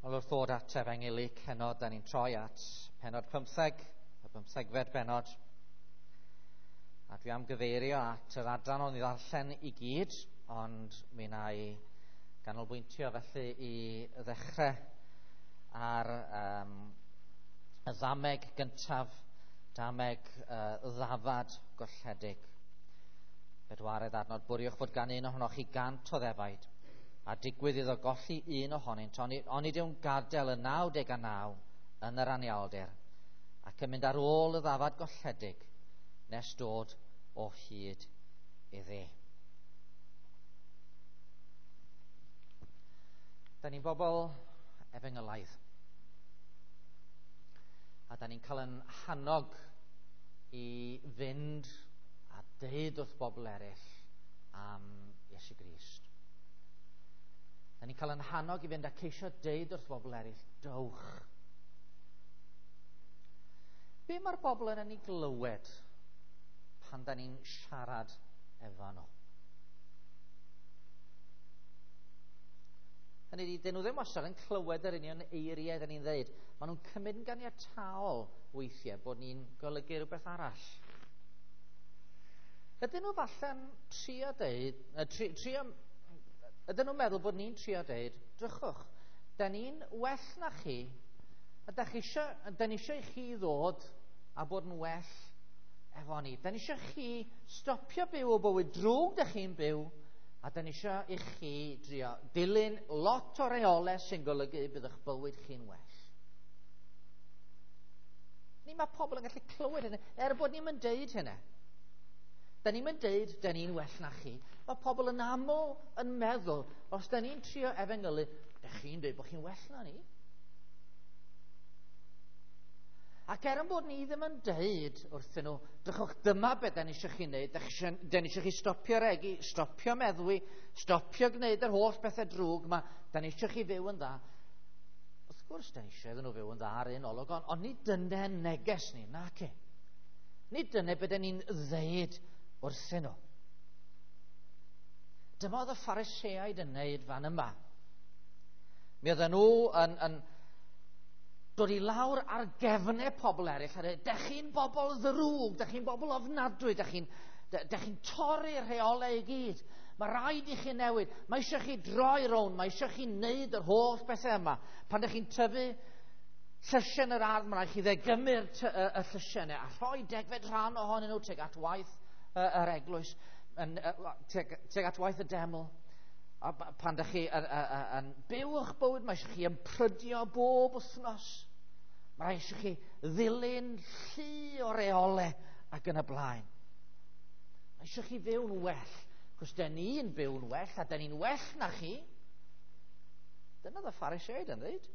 Wel, wrth ddod at Efengylu heno, da ni'n troi at pennod 15, y 15fed bennod. A dwi am gyfeirio at yr adran o'n i ddarllen i gyd, ond mi wna i ganolbwyntio felly i ddechrau ar y ddameg gyntaf, dameg ddafad golledig. Bedwaredd adnod, bwriwch fod gan un ohonoch chi 100 o ddefaid, a digwydd iddo golli un ohonynt, onid yw'n gadael y 99 yn yr anialdir, ac yn mynd ar ôl y ddafad golledig nes dod o hyd iddi. Da ni'n bobl efengylaidd, a da ni'n cael yn hannog i fynd a deud wrth bobl eraill am Iesu Grist. Da ni'n cael yn hannog i fynd a ceisio deud wrth bobl eraill, dowch. Be mae'r bobl yn ei glywed pan da ni'n siarad efo nhw? Hynny ydi, dyn nhw ddim wastad yn clywed yr union eiriau da ni'n ddeud. Maen nhw'n cymryd yn ganiataol weithiau bod ni'n golygu rhywbeth arall. Ydyn nhw falle'n trio deud, ydyn nhw'n meddwl bod ni'n trio deud, drychwch, da ni'n well na chi, a da ni isio i chi ddod a bod yn well efo ni. Da ni isio chi stopio byw o bywyd drwg da chi'n byw, a da ni isio i chi drio dilyn lot o reolau sy'n golygu bydd eich bywyd chi'n well. Ni mae pobl yn gallu clywed hynny, er bod ni'n mynd deud hynny. Da ni'n mynd deud, da ni'n well na chi. Mae pobl yn aml yn meddwl, os da ni'n trio efengylu, da chi'n dweud bod chi'n well na ni. Ac er yn bod ni ddim yn deud wrthyn nhw, drychwch, dyma beth da ni eisiau chi wneud, da ni eisiau chi stopio regi, stopio meddwi, stopio gwneud yr holl bethau drwg yma, da ni eisiau chi fyw yn dda. Wrth gwrs, da ni eisiau iddyn nhw fyw yn dda ar un olwg, ond nid dyna neges ni, nac e. Nid dyna beth da ni'n ddeud wrthyn nhw. Dyma oedd y Phariseaid yn wneud fan yma. Mi oedden nhw yn dod i lawr ar gefnau pobl eraill a dweud, dych chi'n bobl ddrwg, dych chi'n bobl ofnadwy, dych chi'n torri'r rheolau i gyd. Mae rhaid i chi newid, mae eisiau chi droi rownd, mae eisiau chi wneud yr holl bethau yma. Pan dych chi'n tyfu llysiau yn yr ardd, mae rhaid chi ddegymu'r y llysiau yna a rhoi degfed rhan ohonyn nhw tuag at waith yr eglwys, tuag at waith y deml. A pan dych chi yn byw eich bywyd, mae eisiau chi ymprydio bob wythnos. Mae eisiau chi ddilyn llu o reolau ac yn y blaen. Mae eisiau chi fyw'n well, cos da ni'n byw'n well a da ni'n well na chi. Dyna oedd y Phariseaid yn dweud.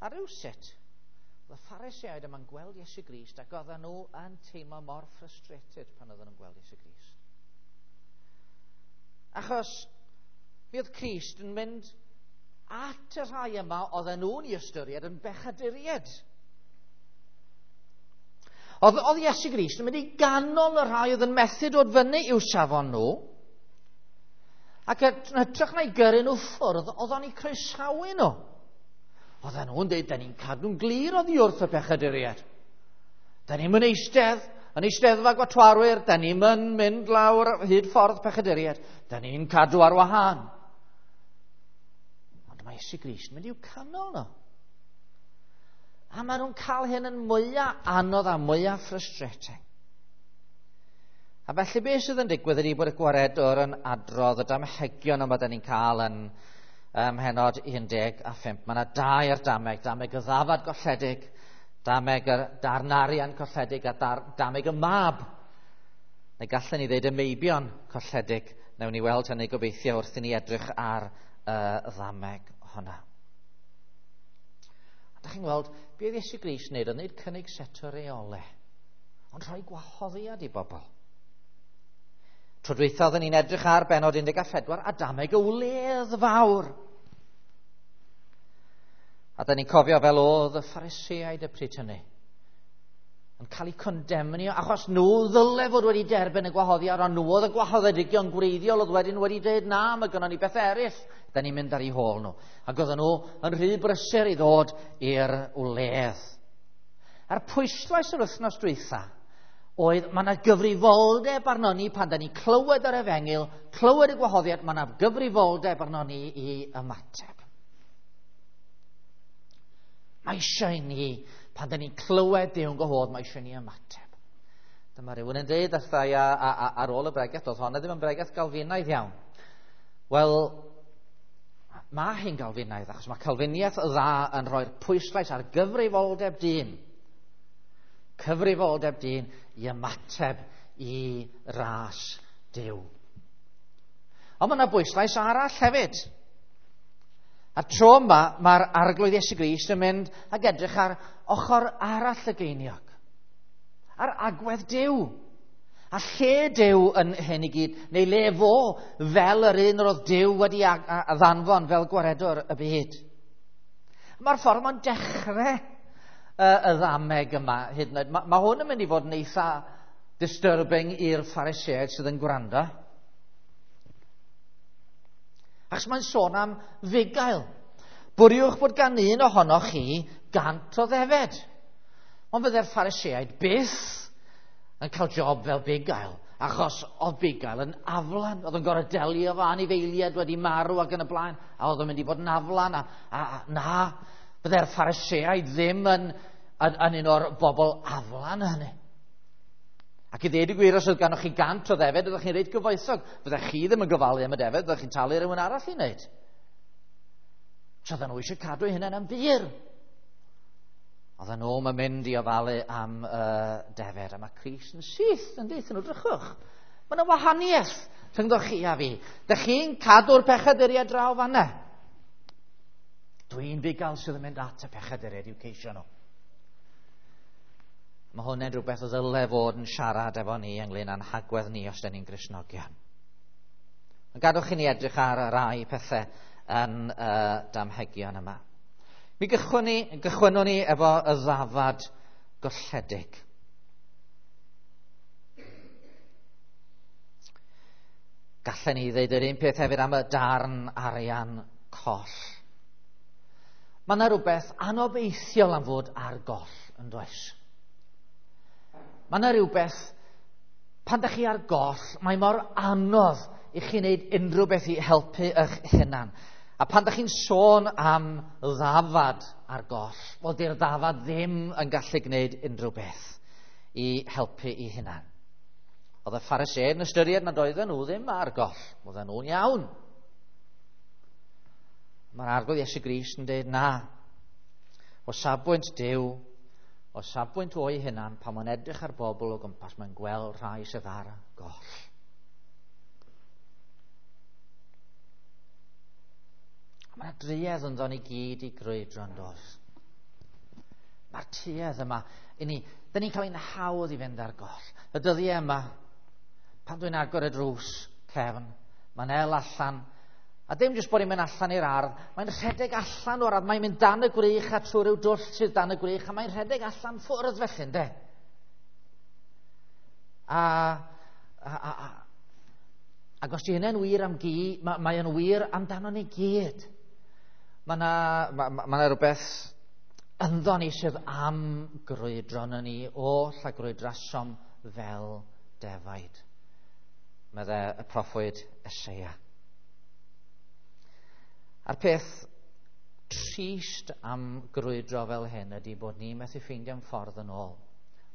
A rywsut, oedd y Phariseaid yma'n gweld Iesu Grist ac oedden nhw yn teimlo mor frustrated pan oedden nhw'n gweld Iesu Grist. Achos mi oedd Crist yn mynd at y rhai yma oedden nhw'n ei ystyried yn bechaduriaid. Oedd Iesu Grist yn mynd i ganol y rhai oedd yn methu dod fyny i'w safon nhw, ac yn hytrach na'i gyrru nhw ffwrdd, oedd o'n eu croesawu nhw. Oedden nhw'n dweud, da ni'n cadw'n glir oddi wrth y pechaduriaid. Da ni'n mynd eistedd yn eisteddfa gwatwarwyr, da ni'n mynd lawr hyd ffordd pechaduriaid, da ni'n cadw ar wahân. Ond mae Iesu Grist yn mynd i'w canol nhw. A maen nhw'n cael hyn yn mwyaf anodd a mwyaf frustrating. A felly beth sydd yn digwydd ydy bod y gwaredwr yn adrodd y damhegion yma da ni'n cael yn mhennod 15. Mae yna dair dameg, dameg y ddafad golledig, dameg y darn arian colledig a dameg y mab. Neu gallen ni ddeud y meibion colledig. Newn ni weld hynny gobeithio wrth i ni edrych ar y ddameg hwnna. A da chi'n gweld, be oedd Iesu Grist wneud? Oedd wneud cynnig set o reolau, ond rhoi gwahoddiad i bobl. Tro dwytha oedden ni'n edrych ar bennod 14 a dameg y wledd fawr. A da ni'n cofio fel oedd y Phariseaid y pryd hynny. Yn cael eu condemnio, achos nhw ddyle fod wedi derbyn y gwahoddiad, ond nhw oedd y gwahoddedigion gwreiddiol oedd wedyn wedi dweud, na, mae gynnon ni beth eraill, da ni'n mynd ar eu hôl nhw. Ac oedden nhw yn rhy brysur i ddod i'r wledd. A'r pwyslais yr wythnos dwytha oedd mae yna gyfrifoldeb arno ni pan da ni'n clywed yr efengyl, clywed y gwahoddiad, mae yna gyfrifoldeb arno ni i ymateb. Mae eisiau ni, pan da ni'n clywed Duw'n gwahodd, mae eisiau ni ymateb. Dyma rhywun yn dweud wrtha i ar ôl y bregeth, oedd honna ddim yn bregeth galfinaidd iawn. Wel, mae hi'n galfinaidd, achos mae Calfiniaeth dda yn rhoi'r pwyslais ar gyfrifoldeb dyn. Cyfrifoldeb dyn i ymateb i ras Duw. Ond mae yna bwyslais arall hefyd. A'r tro yma, mae'r Arglwydd Iesu Grist yn mynd ag edrych ar ochr arall y geiniog. Ar agwedd Duw. A lle Duw yn hyn i gyd, neu le fo fel yr un yr oedd Duw wedi ddanfon fel gwaredwr y byd. Mae'r ffordd mae'n dechrau y ddameg yma hyd yn oed. Mae hwn yn mynd i fod yn eitha disturbing i'r Phariseaid sydd yn gwrando. Achos mae'n sôn am fugail. Bwriwch bod gan un ohonoch chi 100 o ddefed. Ond fydde'r Phariseaid byth yn cael job fel bugail, achos oedd bugail yn aflan. Oedd yn gorfod delio efo anifeiliaid wedi marw ac yn y blaen, a oedd yn mynd i fod yn aflan. A na, fydde'r Phariseaid ddim yn un o'r bobl aflan hynny. Ac i ddweud y gwir, os oedd ganoch chi 100 o ddefed, oeddech chi'n reit gyfoethog. Fyddech chi ddim yn gofalu am y defed, fyddech chi'n talu rhywun arall i wneud. So oedden nhw eisiau cadw eu hunain yn bur. Oedden nhw'n mynd i ofalu am y defed, a mae Crist yn syth yn deutha nhw, drychwch. Mae yna wahaniaeth rhyngddo chi a fi. Dych chi'n cadw'r pechaduriaid draw fanna. Dwi'n fugail sydd yn mynd at y pechaduriaid i'w ceisio nhw. Mae hwn yn rhywbeth o ddyle fod yn siarad efo ni ynglyn â'n hagwedd ni os dyn ni'n Gristnogion. Ond gadwch i ni edrych ar rai pethau yn y damhegion yma. Mi gychwynnwn ni efo y ddafad golledig. Gallen ni ddeud yr un peth hefyd am y darn arian coll. Mae yna rhywbeth anobeithiol am fod ar goll, yn does? Mae yna rhywbeth, pan ydych chi ar goll, mae mor anodd i chi wneud unrhyw beth i helpu eich hunan. A pan ydych chi'n sôn am ddafad ar goll, wel, di'r ddafad ddim yn gallu gwneud unrhyw beth i helpu i hunan. Oedd y Phariseaid yn ystyried nad oedden nhw ddim ar goll, oedden nhw'n iawn. Mae'r Arglwydd Iesu Grist yn dweud na. O safbwynt Duw, o safbwynt o'i hunan, pan mae'n edrych ar bobl o gwmpas, mae'n gweld rhai sydd ar goll. Mae yna druedd ynddo ni gyd i grwydro yn does. Mae'r tuedd yma, i ni, dyn ni'n cael ein hawdd i fynd ar goll. Y dyddiau yma, pan dwi'n agor y drws cefn, mae'n el allan, a dim jyst bod hi'n mynd allan i'r ardd, mae'n rhedeg allan o'r ardd, mae'n mynd dan y gwrych a trwy ryw dwll sydd dan y gwrych, a mae'n rhedeg allan ffwrdd felly, ynde? Ac os di hynny'n wir am gi, mae yn wir amdano ni gyd. Mae yna rhywbeth ynddo ni sydd am grwydro yn ni oll a grwydrasom fel defaid, medde y proffwyd Eseia. A'r peth trist am grwydro fel hyn ydy bod ni methu ffeindio'n ffordd yn ôl.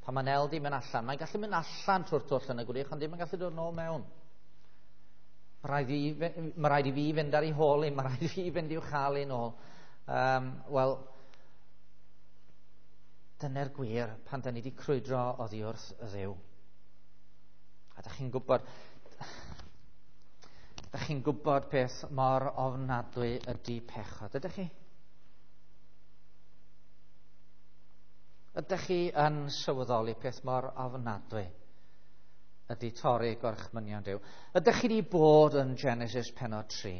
Pan mae'n el di mynd allan, mae'n gallu mynd allan trwy'r twll yn y gwrych, ond ddim yn gallu dod yn ôl mewn. Mae rhaid i fi fynd ar ei hôl i, mae rhaid i fi fynd i'w chael i'n ôl. Wel, dyna'r gwir pan da ni wedi crwydro oddi wrth y Dduw. A da chi'n gwybod peth mor ofnadwy ydy pechod, ydych chi? Ydych chi yn sylweddoli peth mor ofnadwy ydy torri gorchmynion Duw? Ydych chi wedi bod yn Genesis pennod 3?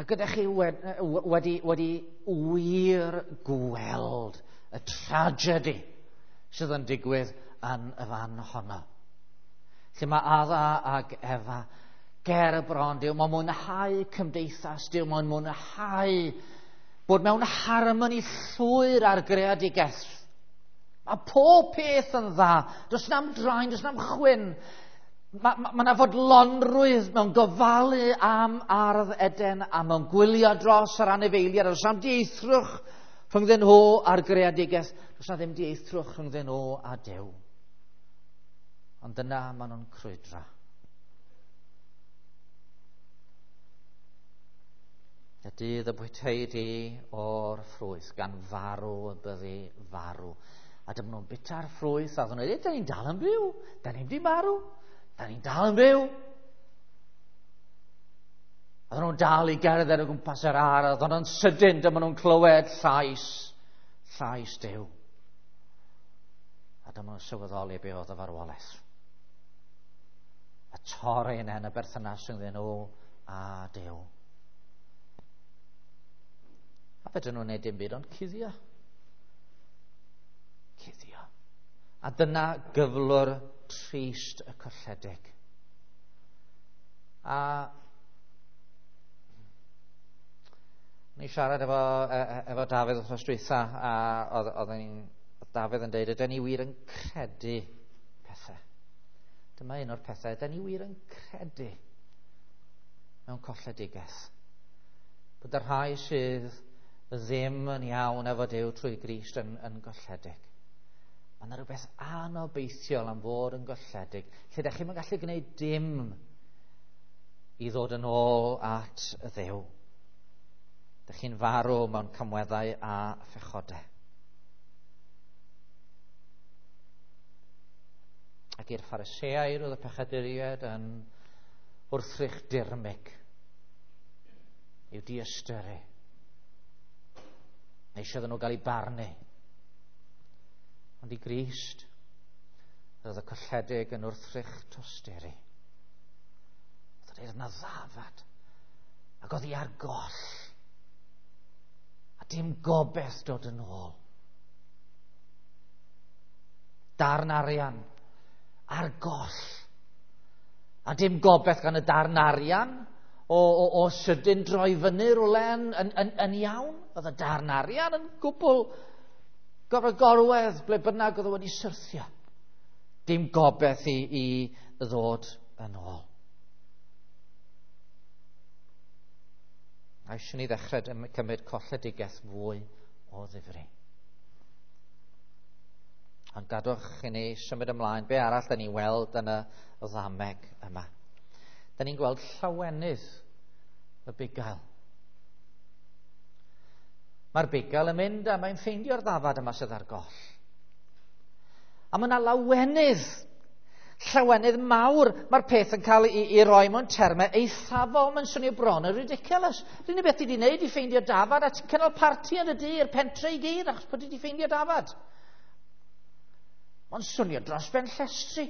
Ac ydych chi wedi wir gweld y tragedy sydd yn digwydd yn y fan honno. Lle mae Adda ag Efa ger y bron Duw, mae'n mwynhau cymdeithas Duw, mae'n mwynhau bod mewn harmoni llwyr ar greadigaeth. Mae pob peth yn dda. Does na'm draen, does na'm chwyn. Mae yna fodlonrwydd mewn gofalu am ardd Eden a mewn gwylio dros yr anifeiliaid. Does na'm dieithrwch rhyngddyn nhw a'r greadigaeth. Does na ddim dieithrwch rhyngddyn nhw a Duw. Ond dyna maen nhw'n crwydro. Y dydd y bwytei di o'r ffrwyth, gan farw y byddi farw. A dyma nhw'n bita'r ffrwyth, a ddyn nhw'n dweud, da ni'n dal yn byw, da ni'n di marw, da ni'n dal yn byw. A ddyn nhw'n dal i gerdded o gwmpas yr ardd, a ddyn nhw'n sydyn, dyma nhw'n clywed llais, llais Duw. A dyma nhw'n sylweddoli be oedd y farwolaeth. A torri yna yn y berthynas rhyngddyn nhw a Duw. A fedrwn nhw'n neud dim byd ond cuddio. Cuddio. A dyna gyflwr trist y colledig. A ni siarad efo, efo Dafydd wrth dwytha, a oedd, oedd, oedd Dafydd yn dweud, ydyn ni wir yn credu pethau. Dyma un o'r pethau, ydyn ni wir yn credu mewn colledigaeth. Bod y rhai sydd ddim yn iawn efo Duw trwy Grist yn, yn golledig. Mae yna rhywbeth anobeithiol am fod yn golledig, lle ydych chi'n gallu gwneud dim i ddod yn ôl at y Dduw. Dych chi'n farw mewn camweddau a phechodau. Ac i'r Phariseaid oedd y pechaduriaid yn wrthrych dirmyg i'w diystyru. Neu eisiau nhw gael eu barnu. Ond i Grist, roedd y colledig yn wrthrych tosturi. Oedd o'n yna ddafad, ac oedd hi ar goll. A dim gobeith dod yn ôl. Darn arian ar goll. A dim gobeith gan y darn arian o, o, o sydyn droi fyny rhywle yn, yn, yn, yn iawn. Oedd y darn arian yn gwbl gorfod gorwedd ble bynnag oedd o wedi syrthio. Dim gobeith i, i ddod yn ôl. A eisiau ni ddechrau cymryd colledigaeth fwy o ddifri. Ond gadwch i ni symud ymlaen. Be arall da ni'n weld yn y ddameg yma? Da ni'n gweld llawenydd y bugail. Mae'r bugail yn mynd a mae'n ffeindio'r ddafad yma sydd ar goll. A mae yna lawenydd, llawenydd mawr. Mae'r peth yn cael ei, ei roi mewn termau eithafol. Mae'n swnio bron yn ridiculous. Yr unig beth ti wedi wneud i ffeindio dafad a ti'n cynnal parti yn y dŷ i'r pentre i gyd achos bod ti wedi ffeindio dafad. Mae'n swnio dros ben llestri.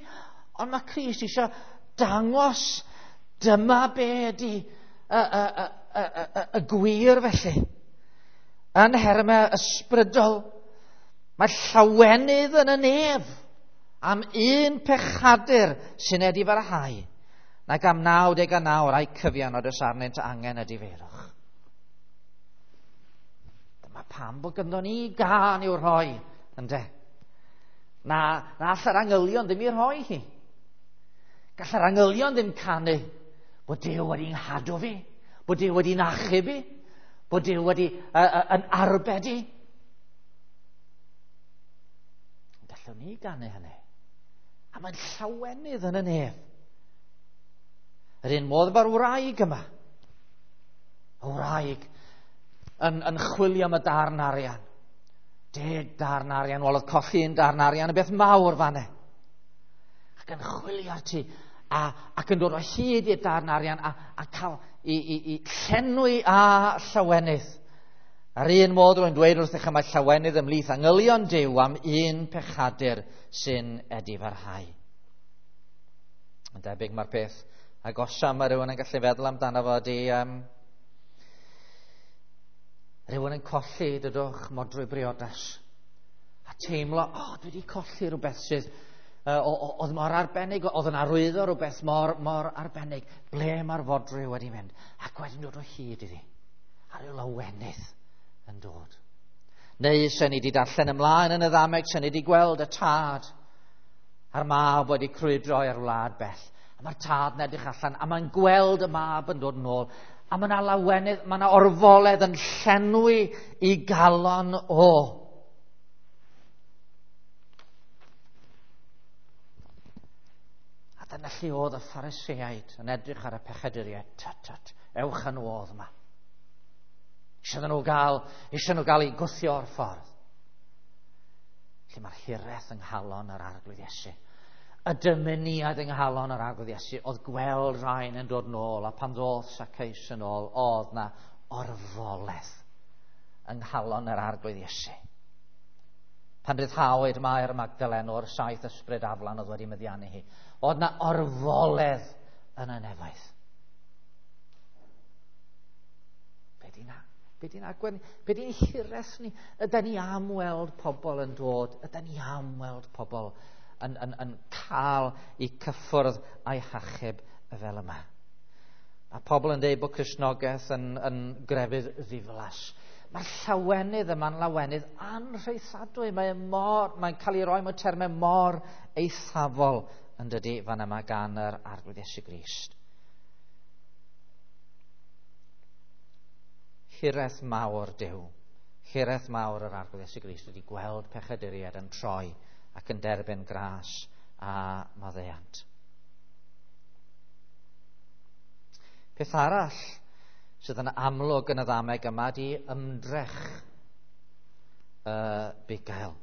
Ond mae Crist eisiau dangos dyma be ydy y, y, y, y, y, y gwir felly. Yn hermau ysbrydol, mae llawenydd yn y nef am un pechadur sy'n edifarhau, nag am 99 rai cyfion oed oes arnynt angen y difeirwch. Dyma pam bod gynddo ni gân i'w rhoi, ynde? Na, na all yr angylion ddim i rhoi hi. Gall yr angylion ddim canu bod Duw wedi nghadw fi, bod Duw wedi'n achub i, bod Duw wedi uh, yn arbed i. Gallwn ni ganu hynny. A mae'n llawenydd yn y nef. Yr un modd efo'r wraig yma. Y wraig yn, yn chwilio am y darn arian. 10 darn arian, wel oedd colli un darn arian yn beth mawr fanne. Ac yn chwilio ar ti, a, ac yn dod o hyd i'r darn arian a, a cael i, i, i llenwi a llawenydd. Ar un modd rwy'n dweud wrthych y mae llawenydd ymhlith angylion Duw am un pechadur sy'n edifarhau. Yn debyg mae'r peth agosa mae rhywun yn gallu feddwl amdano fo ydy um, rhywun yn colli, dydwch, modrwy briodas. A A teimlo, o, dwi wedi colli rhywbeth sydd oedd mor arbennig, oedd yn arwyddo rhywbeth mor, mor arbennig. Ble mae'r fodrwy wedi mynd? Ac wedyn dod o hyd iddi. A rhyw lawenydd yn dod. Neu sen ni wedi darllen ymlaen yn y ddameg, sen ni wedi gweld y tad a'r mab wedi crwydro i'r wlad bell. A mae'r tad yn edrych allan, a mae'n gweld y mab yn dod yn ôl. A mae yna lawenydd, mae yna orfoledd yn llenwi i galon o. A dyna lle oedd y Phariseaid yn edrych ar y pechaduriaid. Tut, tut, ewch yn ôl yma. Eisiau nhw gael, eisiau nhw gael eu gwthio o'r ffordd. Lle mae'r hiraeth yng nghalon yr Arglwydd Iesu. Y dymuniad yng nghalon yr Arglwydd Iesu oedd gweld rhain yn dod nôl, a pan ddoth Zacchaeus yn ôl, oedd na orfoledd yng nghalon yr Arglwydd Iesu. Pan ryddhawyd Mair Magdalen o'r 7 ysbryd aflan oedd wedi meddiannu hi, oedd na orfoledd yn y nefoedd. Be di'n be di'n agwedd ni? Be di'n hiraeth ni? Ydy ni am weld pobl yn dod? Ydy ni am weld pobl yn cael eu cyffwrdd a'i hachub fel yma? Mae pobl yn dweud bod Cristnogaeth yn grefydd ddiflas. Mae'r llawenydd yma'n lawenydd anrhaethadwy. Mae'n cael ei roi mewn termau mor eithafol yn dydy fan yma gan yr Arglwydd Iesu Grist. Hiraeth mawr Duw, hiraeth mawr yr Arglwydd Iesu Grist wedi gweld pechaduriaid yn troi ac yn derbyn gras a maddeuant. Peth arall sydd yn amlwg yn y ddameg yma di ymdrech y bugail.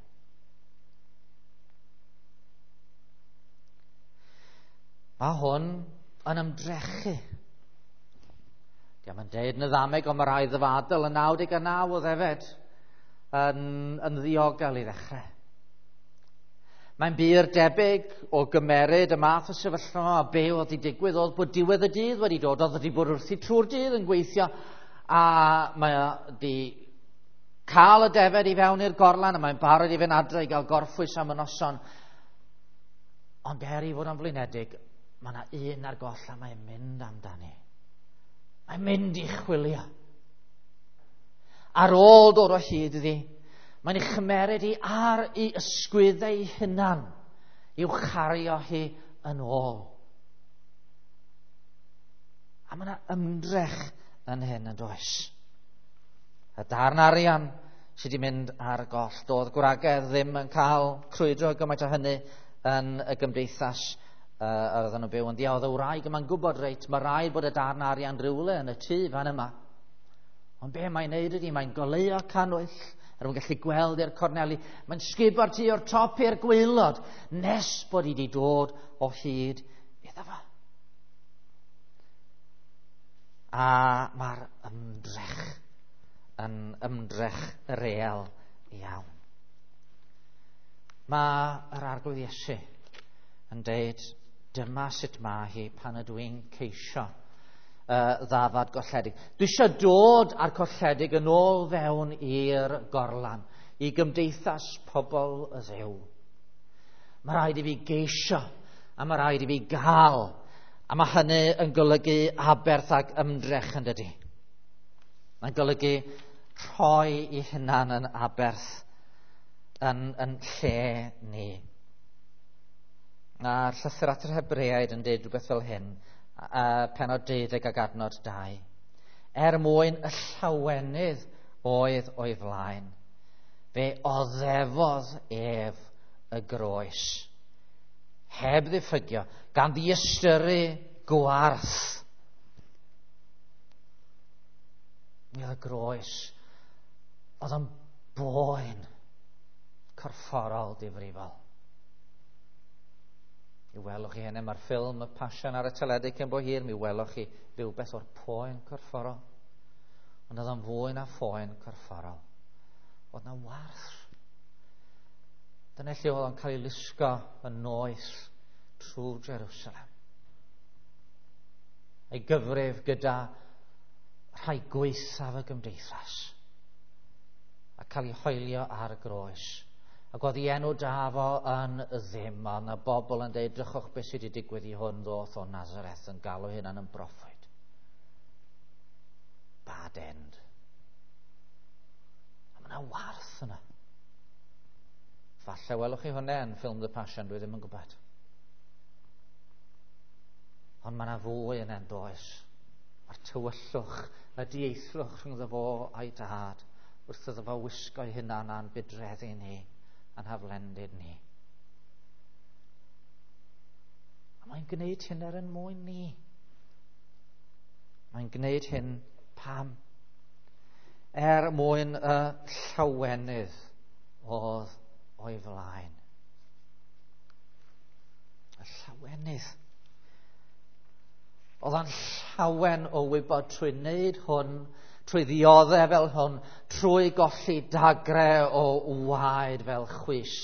Mae hwn yn ymdrechu. Diolch yn deud yn y ddameg, ond mae rai ddyfadol yn 99 o ddefed yn ddiogel i ddechrau. Mae'n bur debyg o gymeryd y math o sefyllfa a be oedd wedi digwydd oedd bod diwedd y dydd wedi dod, oedd wedi bod wrthi trwy'r dydd yn gweithio, a mae wedi cael y defed i fewn i'r gorlan a mae'n barod i fynd adre i gael gorffwys am y noson. Ond er i fod yn flinedig, mae yna un ar goll a mae'n mynd amdani. Mae'n mynd i chwilio. Ar ôl dod o hyd iddi, mae'n ei chymeryd hi ar ei ysgwyddau ei hunan i'w chario hi yn ôl. A mae yna ymdrech yn hyn yn does. Y darn arian sydd wedi mynd ar goll. Doedd gwragedd ddim yn cael crwydro gymaint o hynny yn y gymdeithas yr oedden nhw'n byw ynddi. Oedd y wraig yma'n gwybod reit, mae rhaid bod y darn arian rhywle yn y tŷ fan yma. Ond be mae'n neud ydy, mae'n goleuo cannwyll, er mwyn gallu gweld i'r corneli. Mae'n sgubo'r tŷ o'r top i'r gwaelod, nes bod hi wedi dod o hyd iddo fo. A mae'r ymdrech yn ymdrech real iawn. Mae yr Arglwydd Iesu yn deud, dyma sut mae hi pan ydw i'n ceisio ddafad golledig. Dwi eisiau dod â'r colledig yn ôl fewn i'r gorlan, i gymdeithas pobl y Dduw. Mae rhaid i fi geisio, a mae rhaid i fi gael, a mae hynny yn golygu aberth ac ymdrech yn dydy. Mae'n golygu rhoi i hunan yn aberth yn lle ni. A'r llythyr at yr Hebreaid yn dweud rhywbeth fel hyn, pennod 12 ac adnod 2. Er mwyn y llawenydd oedd o'i flaen, fe oddefodd ef y groes, heb ddiffygio, gan ddiystyru gwarth. Mi oedd y groes, oedd yn boen corfforol difrifol. Mi welwch chi hynny, mae'r ffilm Y Passion ar y teledu cyn bo hir, mi welwch chi rhywbeth o'r poen corfforol. Ond oedd o'n fwy na phoen corfforol. Oedd na warth. Dyna lle oedd o'n cael ei lusgo yn noeth trwy Jerusalem. Ei gyfrif gyda rhai gwaethaf y gymdeithas. A cael ei hoelio ar y groes. Ac oedd ei enw da fo yn ddim, ond y bobl yn dweud, drychwch beth sydd wedi digwydd i hwn ddoth o Nazareth yn galw hynna'n yn broffwyd. Bad end. A mae yna warth yna. Falle welwch chi hwnna yn ffilm The Passion, dwi ddim yn gwybod. Ond mae yna fwy yn does. Mae'r tywyllwch, y dieithrwch rhyngddo fo a'i dad, wrth iddo fo wisgo'i hunan a'n budreddu ni, a'n haflendid ni. A mae'n gwneud hyn er yn mwyn ni. Mae'n gwneud hyn pam? Er mwyn y llawenydd oedd o'i flaen. Y llawenydd. Oedd o'n llawen o wybod trwy wneud hwn, trwy ddioddef fel hwn, trwy golli dagre o waed fel chwys,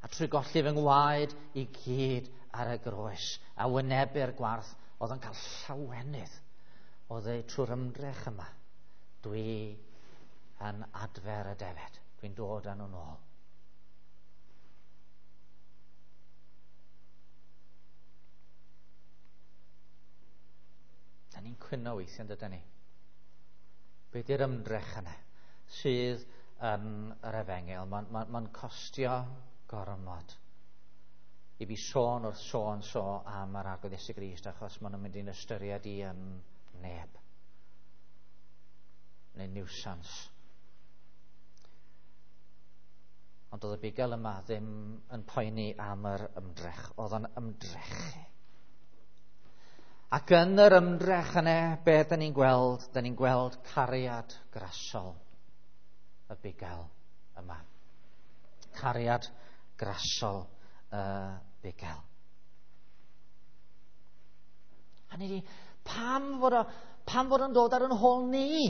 a trwy golli fy ngwaed i gyd ar y groes, a wynebu'r gwarth, oedd o'n cael llawenydd o ddeud trwy'r ymdrech yma, dwi yn adfer y defed, dwi'n dod â nhw'n ôl. Da ni'n cwyno weithiau, dydyn ni? Be di'r ymdrech yna sydd yn yr efengyl? Mae'n ma, ma costio gormod i fi sôn wrth sôn so am yr Arglwydd Iesu Grist, achos maen nhw'n mynd i'n ystyried i yn neb neu niwsans. Ond oedd y bugail yma ddim yn poeni am yr ymdrech, oedd o'n ymdrechu. Ac yn yr ymdrech yna, be dyn ni'n gweld? Dyn ni'n gweld cariad grasol y bugail yma. Cariad grasol y bugail. A ni di, pam fod, o, pam fod o'n dod ar yn hôl ni?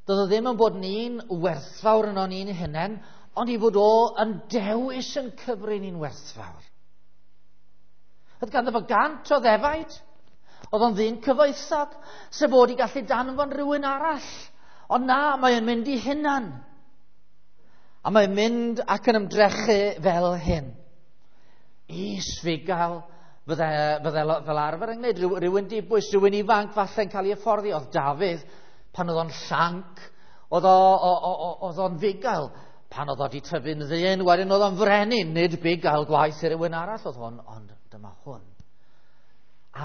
Doedd o ddim yn bod ni'n werthfawr yn o'n ni'n hunain, ond i fod o yn dewis yn cyfri ni'n werthfawr. Oedd ganddo fo 100 o ddefaid. Oedd o'n ddyn cyfoethog, sef bod i gallu danfon rhywun arall. Ond na, mae'n mynd i hunan. A mae'n mynd ac yn ymdrechu fel hyn. Is-fugail fydde, fydde fel arfer yn gwneud. Rhywun dibwys, rhywun ifanc falle'n cael ei hyfforddi. Oedd Dafydd, pan oedd o'n llanc, oedd o'n fugail. Pan oedd o wedi tyfu'n ddyn, wedyn oedd o'n frenin, nid bugail gwaith i rywun arall oedd hwn, ond dyma hwn.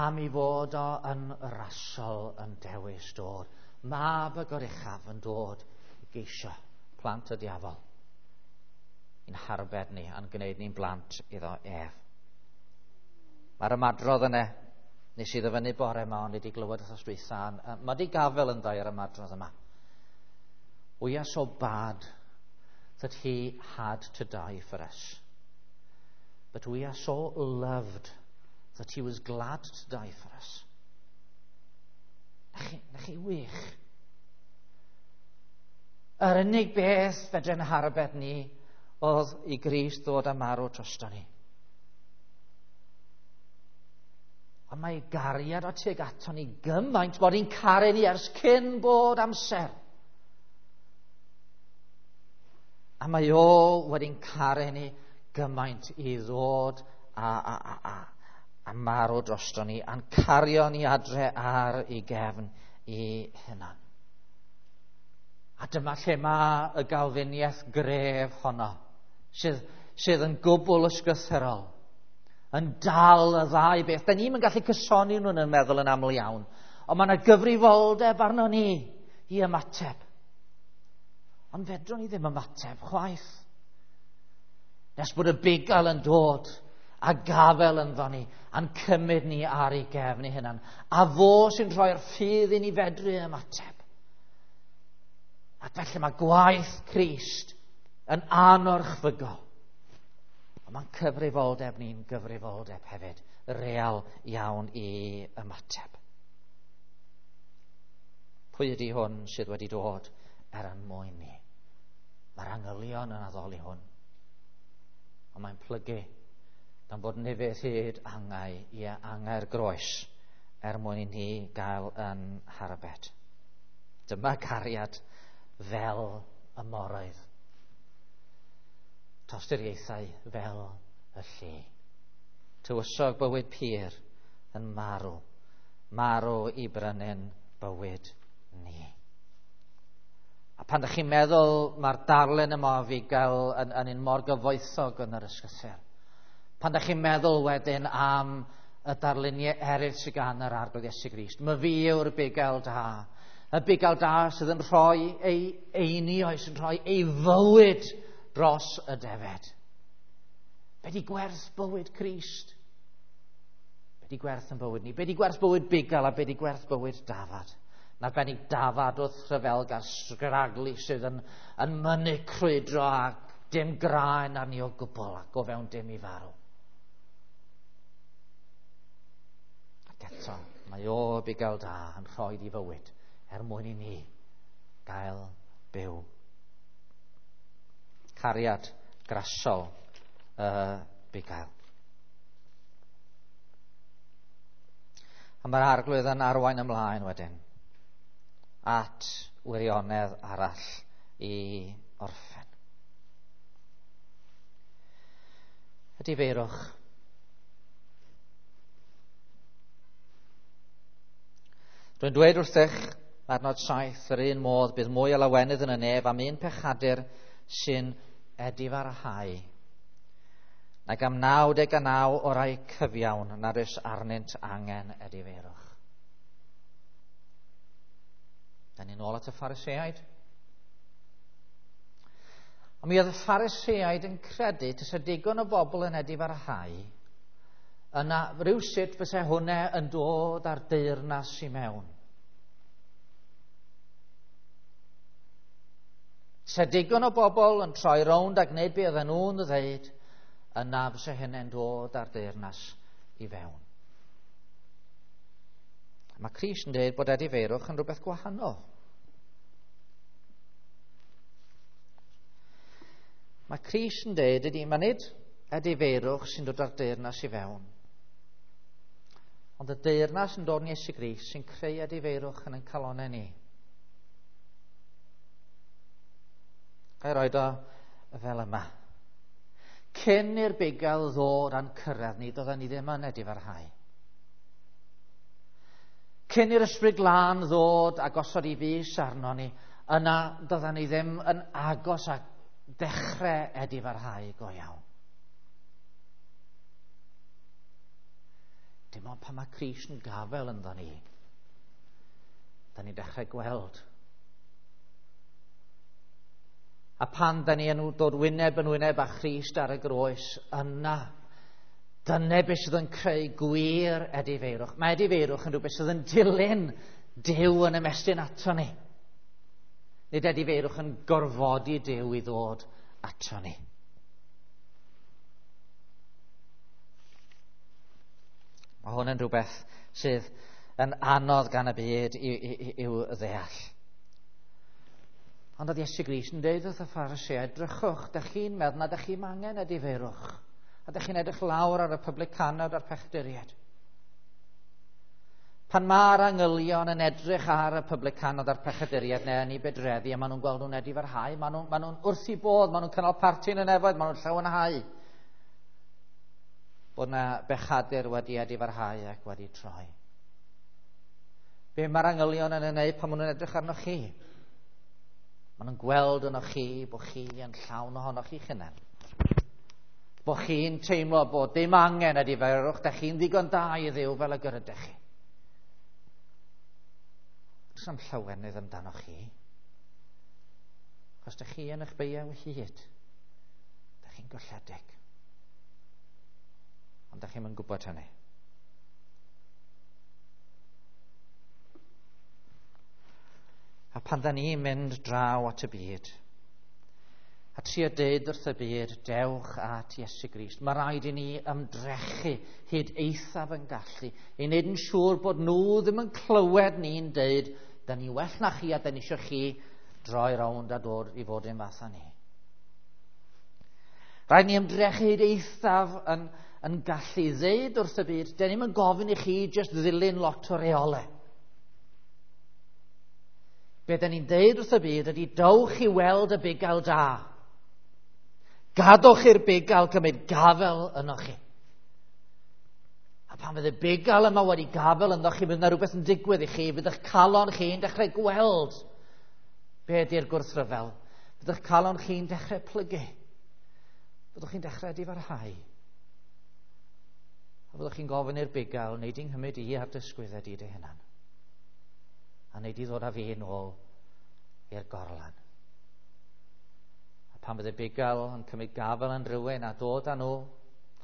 Am i fod o yn rasol yn dewis dod. Mab y Goruchaf yn dod i geisio plant y diafol i'n harbed ni a'n gwneud ni'n blant iddo ef. Mae'r ymadrodd yna, nes i ddyfynnu bore yma, ond wedi glywed wrth dwytha, mae di gafel yn dda i'r ymadrodd yma. We are so bad that he had to die for us. But we are so loved that he was glad to die for us. Na chi, na chi wych. Yr unig beth fedrwn harbed ni oedd i Grist ddod a marw drosto ni. Ond mae gariad o tuag ato ni gymaint bod hi'n caru ni ers cyn bod amser. A mae o wedi'n caru ni gymaint i ddod a marw drosto ni, a'n cario ni adre ar ei gefn i hunan. A dyma lle mae y galfiniaeth gref honno, sydd yn gwbl ysgrythurol, yn dal y ddau beth. Da ni'n gallu cysoni nhw'n yn meddwl yn aml iawn, ond mae yna gyfrifoldeb arno ni i ymateb. Ond fedrwn ni ddim ymateb chwaith. Nes bod y bugail yn dod a gafel ynddo ni, a'n cymryd ni ar ei gefn ei hunan. A fo sy'n rhoi'r ffydd i ni fedru ymateb. Ac felly mae gwaith Crist yn anorchfygol. Ond mae'n cyfrifoldeb ni'n gyfrifoldeb hefyd, real iawn i ymateb. Pwy ydy hwn sydd wedi dod er yn mwyn ni? Mae'r angylion yn addoli hwn. Ond mae'n plygu gan fod nifydd hyd angau i angau'r groes er mwyn i ni gael yn harbed. Dyma cariad fel y moroedd. tosturiaethau fel y lle. Tywysog bywyd pur yn marw, marw i brynu'n bywyd ni. A pan ydych chi'n meddwl mae'r darlun yma o fugail yn un mor gyfoethog yn yr ysgrythur, pan ydych chi'n meddwl wedyn am y darluniau eraill sydd gan yr Arglwydd Iesu Grist, mae fi yw'r bugail da. Y bugail da sydd yn rhoi ei einioes, yn rhoi ei fywyd dros y defed. Be di gwerth bywyd Crist? Be di gwerth yn bywyd ni? Be di gwerth bywyd bugail a be di gwerth bywyd dafad? Na arbennig dafad wrth rhyfelgar sgraglu sydd yn mynnu crwydro a dim graen arni o gwbl ac o fewn dim i farw. Ac eto, mae o bugail da yn rhoi i fywyd er mwyn i ni gael byw. Cariad grasol y bugail. A mae'r Arglwydd yn arwain ymlaen wedyn at wirionedd arall i orffen. Edifeirwch. Rwy'n dweud wrthych, adnod 7, yr un modd bydd mwy o lawenydd yn y nef am un pechadur sy'n edifarhau nag am 99 o rai cyfiawn nad oes arnynt angen edifeirwch. Da ni'n ôl at y Phariseaid. Ond mi oedd y Phariseaid yn credu tasa digon o bobl yn edifarhau, yna rhywsut fysa hwnna yn dod ar deyrnas i mewn. Tasa digon o bobl yn troi rownd a gwneud be oedden nhw'n ddeud, yna fysa hynny'n dod ar deyrnas i fewn. Mae Crist yn dweud bod edifeirwch yn rhywbeth gwahanol. Mae Crist yn dweud ydy, mae nid edifeirwch sy'n dod ar deyrnas i fewn, ond y deyrnas yn dod yn Iesu Grist sy'n creu edifeirwch yn ein calonnau ni. Ga i roed o fel yma. Cyn i'r bugail ddod a'n cyrraedd ni, doedden ni ddim yn edifarhau. Cyn i'r Ysbryd Glân ddod a gosod i fys arno ni, yna doedden ni ddim yn agos a dechrau edifarhau go iawn. Dim ond pan mae Crist yn gafel ynddo ni, da ni'n dechrau gweld. A pan da ni yn dod wyneb yn wyneb â Christ ar y groes, yna, dyna beth sydd yn creu gwir edifeirwch. Mae edifeirwch yn rhywbeth sydd yn dilyn Duw yn ymestyn ato ni. Nid edifeirwch yn gorfodi Duw i ddod ato ni. Mae hwn yn rhywbeth sydd yn anodd gan y byd i'w ddeall. Ond oedd Iesu Grist yn dweud wrth y Phariseaid, drychwch, dych chi'n meddwl na dych chi'n angen edifeirwch. A dych chi'n edrych lawr ar y publicanod a'r pechaduriaid. Pan mae'r angylion yn edrych ar y publicanod a'r pechaduriaid neu yn ei bedreddi, a maen nhw'n gweld nhw'n edifarhau, maen nhw'n wrth i bodd, maen nhw'n cynnal parti yn y nefoedd, maen nhw'n llawenhau bod na bechadur wedi edifarhau ac wedi troi. Be mae'r angylion yn ei wneud pan maen nhw'n edrych arnoch chi? Maen nhw'n gweld ynoch chi bod chi yn llawn ohonoch chi'ch hunain. Bod chi'n teimlo bod dim angen edifarwch, da chi'n ddigon da i Dduw fel y gyrydych chi. Does am llawenydd amdanoch chi. Achos da chi yn eich beiau hyd. Da chi'n golledig. Ond da chi'm yn gwybod hynny. A pan da ni'n mynd draw at y byd, a trio deud wrth y byd, dewch at Iesu Grist. Mae rhaid i ni ymdrechu hyd eithaf yn gallu, i wneud yn siŵr bod nhw ddim yn clywed ni'n deud, da ni well na chi a da ni eisiau chi droi rownd a dod i fod yn fath â ni. Rhaid ni ymdrechu hyd eithaf yn gallu ddeud wrth y byd, da ni'm yn gofyn i chi jyst ddilyn lot o reolau. Be da ni'n deud wrth y byd ydy, dowch i weld y bugail da. Gadwch i'r bugail cymryd gafel yno chi. A pan fydd y bugail yma wedi gafel ynddo chi, bydd yna rhywbeth yn digwydd i chi, bydd eich calon chi'n dechrau gweld be ydy'r gwrthryfel. Bydd eich calon chi'n dechrau plygu. Byddwch chi'n dechrau difarhau. A byddwch chi'n gofyn i'r bugail, wneud i'n nghymryd i ar dysgwyddau di dy hunan. A wneud i ddod â fi yn ôl i'r gorlan. A pan bydd y bugail yn cymryd gafel yn rhywun a dod â nhw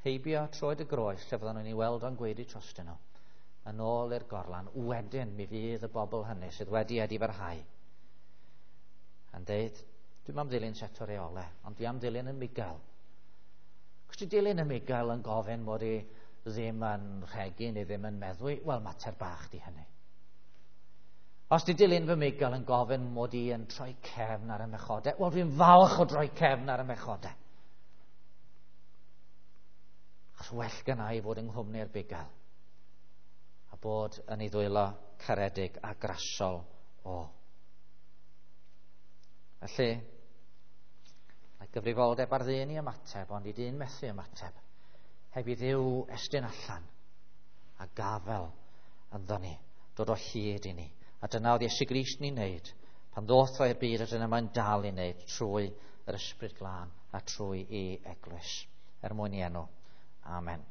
heibio troed y groes lle fyddan nhw'n ei weld o'n gweiddi trostyn nhw, yn ôl i'r gorlan, wedyn mi fydd y bobl hynny sydd wedi edifarhau yn deud, dwi'm am ddilyn set o reolau, ond dwi am ddilyn y migael. Cos dwi dilyn y migael yn gofyn mod i ddim yn rhegi neu ddim yn meddwi, wel, mater bach di hynny. Os di dilyn fy migael yn gofyn mod i yn troi cefn ar y mechodau, wel, dwi'n falch o droi cefn ar y mechodau. Achos well gynna i fod yng nghwmni'r bugail a bod yn ei ddwylo caredig a grasol o. Felly, mae gyfrifoldeb ar ddyn i ymateb, ond i dyn methu ymateb, heb i Dduw estyn allan a gafel ynddo ni, dod o hyd i ni. A dyna oedd Iesu Grist ni'n neud pan ddoth o i'r byd, a dyna mae'n dal i wneud trwy yr Ysbryd Glân a trwy ei eglwys, er mwyn i enw. Amen.